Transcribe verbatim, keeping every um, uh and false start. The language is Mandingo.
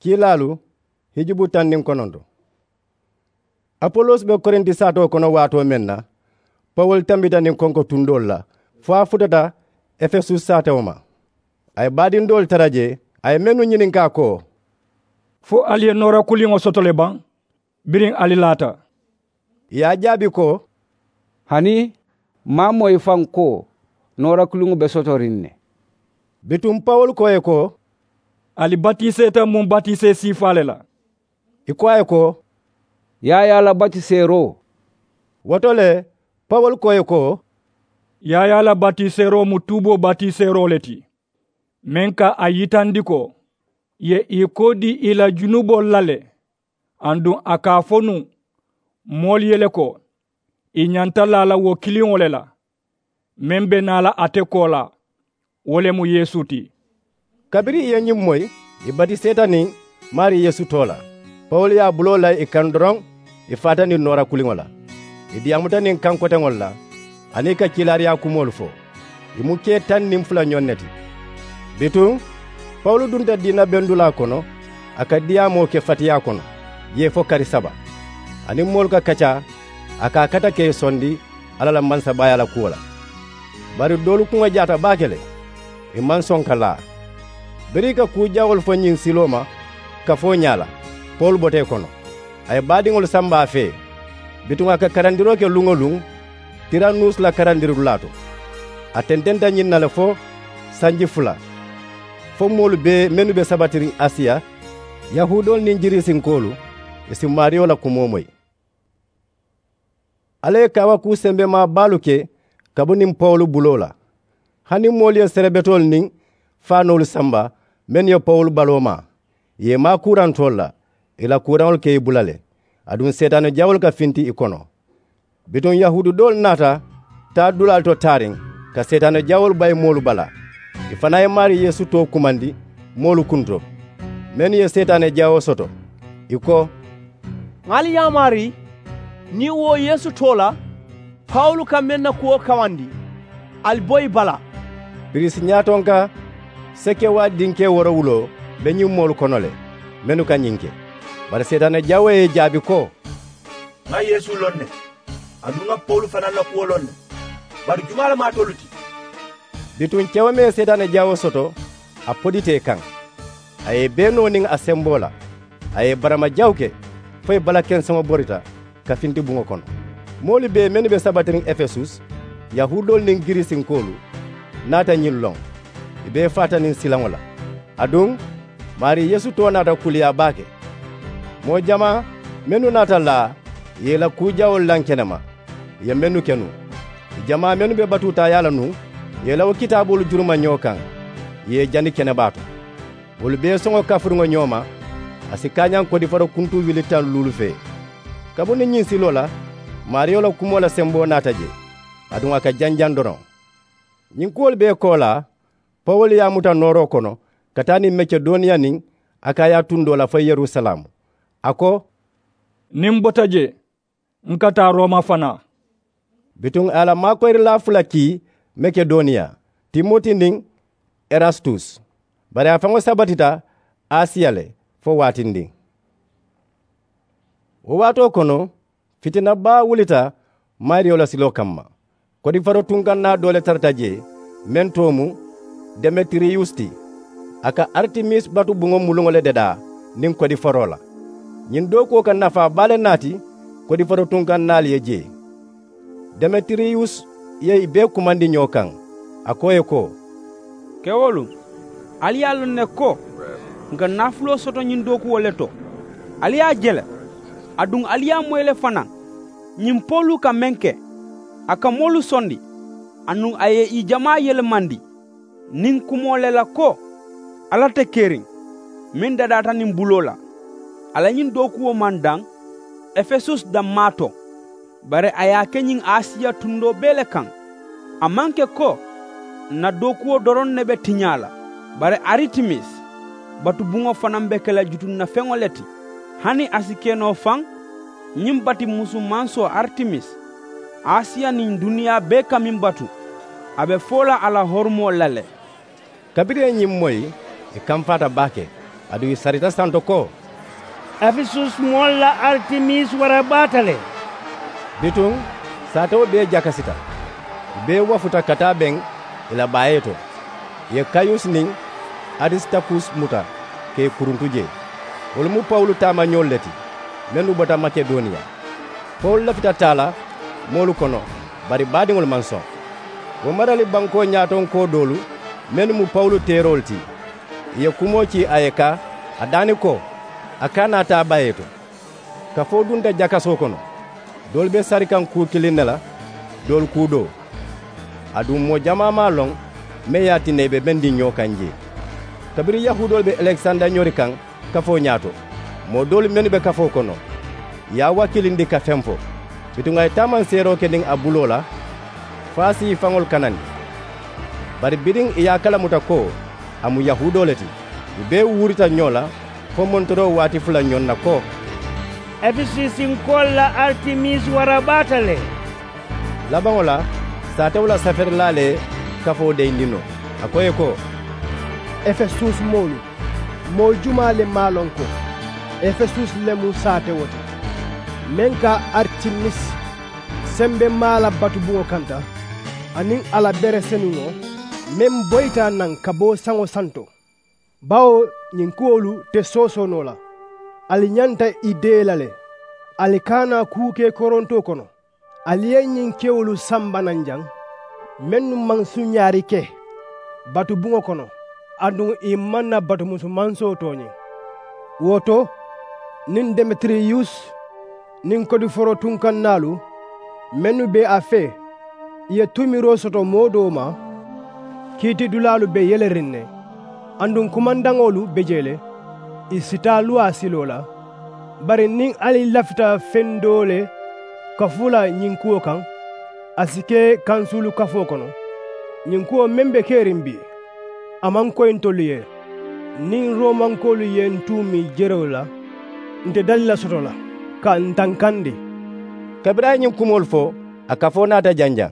Kiilaalu hijubu taŋ niŋ kononto. Apolos be korinti saatoo kono waatoo meŋ na, pawulu tambita niŋ konko tundoolu la fo a futata efesus saatewo ma. A ye baadindoolu tara jee, a ye mennu ñininkaa ko, fo ali ye noora kuliŋo soto le baŋ biriŋ ali laata? Ì ye a jaabi ko, hani, maŋ a moyi faŋ ko noora kuliŋo be sotoriŋ ne. Bituŋ pawulu ko ì ye ko, ali batiseeta muŋ batisee siifaa le la? Ì ko a ye ko, yaayaa la batiseeroo. Wo to le, pawulu ko ì ye ko, yaayaa la batiseeroo mu tuuboo batiseeroo le ti, meŋ ka a yitandi ko ì ye ì koodi ì la junuboolu la le. Aduŋ a ka a fo nuŋ moolu ye le ko, ì ñanta laa la wo kiliŋo le la, meŋ be naa la ate koolaa, wo le mu yeesu ti. Kabiriŋ ì ye ñiŋ moyi, ì batiseeta niŋ maarii yeesu too la. Pawulu ye a buloo la ì kaŋ doroŋ, ì faata niŋ noora kuliŋo la. Ì diyaamuta niŋ kaŋ koteŋolu la, aniŋ ì ka kiilaariyaa kumoolu fo. Ì mu kee taŋ niŋ fula ñoŋ ne ti. Bituŋ pawulu dunta diina bendulaa kono, a ka diyaamoo ke fatiyaa kono jee fo kari saba. A niŋ moolu ka kaccaa, a ka a kata ka ì sondi alla la mansabaaya la kuwo la. Bari doolu kuŋo jaata baake le, ì maŋ soŋ ka laa. Biriŋ ì ka kuu jawoolu fo ñiŋ siloo ma kafoo ñaa la, pawulu bota ì kono. A ye baadiŋolu samba a fee. Bituŋ a ka karandiroo ke luŋ-wo-luŋ tiranuusi la karandiridulaa to. A tententa ñiŋ na le fo sanji fula, fo moolu bee mennu be sabatiriŋ asiya, yahuudoolu niŋ giriisinkoolu, ì si maariyo la kumoo moyi. Alla ye kaawakuu sembemaa baalu ke kabiriŋ pawulu buloo la. Hani moolu ye serebetoolu niŋ faanoolu samba mennu ye pawulu baloo maa, ì ye i maa kuurantoolu la, ì la kuuraŋolu ka ì bula le. Aduŋ seetaane jawoolu ka finti ì kono. Bituŋ yahuudu doolu naata taa dulaalu to taariŋ, ka seetaane jawoolu bayi moolu bala. Ì fanaa ye maarii yeesu too kumandi moolu kunto, mennu ye seetaane jawoo soto. Ì ko, ŋà ali yaamaari niŋ wo yeesu too la pawulu ka meŋ na kuwo kawandi, ali bo ì bala. Pirisiñaatonka sekewa dinkee woorowuloo be ñiŋ moolu kono le, mennu ka ñiŋ ke. Bari seetaane jawoo ye ì jaabi ko, ŋà yeesu loŋ ne, aduŋ ŋà pawulu fanaa la kuwo loŋ ne. Bari jumaa le mu alitolu ti? Bituŋ kewo meŋ ye seetaane jawoo soto, a podita ì kaŋ. A ye ì bee noo niŋ a semboo la. A ye ì barama jawu ke fo ì bala kenseŋo borita ka finti buŋo kono. Moolu bee mennu be sabatiriŋ efesus, yahuudoolu niŋ giriisinkoolu, naata ñiŋ loŋ. Ì bee faata niŋ silaŋo la. Aduŋ maarii yeesu too naata kuliyaa baake. Moo jamaa mennu naata laa, ì ye ì la kuu jawoolu laŋ kenema. Ì ye mennu ke nuŋ, ì jamaa mennu be batuutaayaa la nuŋ, ì ye i la wo kitaaboolu juruma ñoo kaŋ, ì ye i jani kenebaa to. Wolu bee soŋo kafuriŋo ñoo ma, a si kaañaŋ kodifaro kuntuu wili taŋ luulu fee. Kabiriŋ ñiŋ siloo la, maariyo la kumoo la semboo naata jee, aduŋ a ka janjaŋ doroŋ. Ñiŋ kuwolu bee koolaa, pawulu ye a muta nooroo kono ka taa niŋ makedoniya niŋ akaya tundoo la fo yerusalaamu. A ko, niŋ m bota jee, n ka taa rooma fanaa. Bituŋ a ye a la maakoyirilaa fula kii makedoniya, timoti niŋ erastus. Bari a faŋo sabatita asiya le fo waatindiŋ. Wo waatoo kono, fitina baa wulita maariyo la siloo kamma. Kodifaro tunkannaa doo le tarata jee, meŋ too mu demetiriyusi ti. A ka aritimis batubuŋo muluŋo le dadaa niŋ kodifaroo la. Ñiŋ dookuwo ka nafaa baa le naati kodifaro tunkannaalu ye jee. Demetiriyusi ye ì bee kumandi ñoo kaŋ, a ko ì ye ko, kewolu, ali ye a loŋ ne ko n ka naafuloo soto ñiŋ dookuwo le to. Ali ye a je le, aduŋ ali ye a moyi le fanaa, ñiŋ pawulu ka meŋ ke, a ka moolu sondi, aduŋ a ye ì jamaa yelemandi niŋ kumoo le la ko, alla te keriŋ meŋ dadaata niŋ buloo la. A la ñiŋ dookuwo maŋ daŋ efesus dammaa to, bari a ye a ke ñiŋ asiya tundoo bee le kaŋ. A maŋ ke ko n na dookuwo doroŋ ne be tiñaa la, bari aritimis batubuŋo fanaa be ke la jutunnafeŋo le ti. Hani a si ke noo faŋ, ñiŋ bati musu mansoo aritimis, asiya niŋ duniyaa bee ka meŋ batu, a be foo la a la horomoo la le. Kabiriŋ ì ye ñiŋ moyi, ì kamfaata baake. Aduŋ ì sarita santo ko, efesusi moolu la aritimis wara baata le. Bituŋ saatewo bee jakasita, ì bee wafuta ka taa beŋ ì la baayee to. Ì ye kayusi niŋ arisitakusi muta ka ì kuruntu jee. Wolu mu pawulu taamañoolu le ti mennu bota makedoniya. Pawulu lafita taa la moolu kono, bari baadiŋolu maŋ soŋ. Wo marali bankoo ñaatonkoo doolu mennu mu pawulu teeroolu ti, ì ye kumoo kii a ye ka a daani ko a kana a taa bayee to. Kafoo dunta jakasoo kono. Doolu be sari kaŋ kuu kiliŋ ne la, doolu kuu doo. Aduŋ moo jamaa maŋ a loŋ meŋ ye a tinna ì be bendiŋ ñoo kaŋ jee. Kabiriŋ yahuudoolu be alekisanda ñori kaŋ kafoo ñaato, moo doolu mennu be kafoo kono ì ye a wakilindi ka feŋ fo. Bituŋ a ye taamanseeroo ke niŋ a buloo la fo a si ì faŋolu kanandi. Bari biriŋ ì ye a kalamuta ko a mu yahuudoo le ti, ì bee wuurita ñoo la fo montoroo waati fula ñoŋ na ko, efesusinkoolu la aritimis wara baata le. Labaŋo la saatewo la saferilaa le ye kafoo deyindi noo, a ko ì ye ko, efesusi moolu, moo jumaa le maŋ a loŋ ko efesusi le mu saatewo ti, meŋ ka aritimisi sembemaa la batubuŋo kanta, aniŋ a la bere senuŋo meŋ boyita a naŋ ka bo saŋo santo? Bawo ñiŋ kuwolu te soosoo noo la. Ali ñanta ì dee la le. Ali kana kuu ke korontoo kono. Ali ye ñiŋ kewolu samba naŋ jaŋ, mennu maŋ suñaari ke batubuŋo kono, aduŋ ì maŋ na batumusu mansoo tooñi. Wo to, niŋ demetiriyusi niŋ kodiforoo tunkannaalu mennu be a fee, ì ye tuumiroo soto moo doo ma. Kiitidulaalu be yeleriŋ ne, aduŋ kumandaŋolu be jee le. Ì si taa luwaa siloo la. Bari niŋ ali lafita feŋ doo le kafu la ñiŋ kuwo kaŋ, a si ke kansuulu kafoo kono. Ñiŋ kuwo meŋ be keriŋ bii, a maŋ koyi ntolu ye. Niŋ romankoolu ye n tuumi jerewo la, nte dali la soto la ka n tankandi. Kabiriŋ a ye ñiŋ kumoolu fo, a kafoo naata janjaŋ.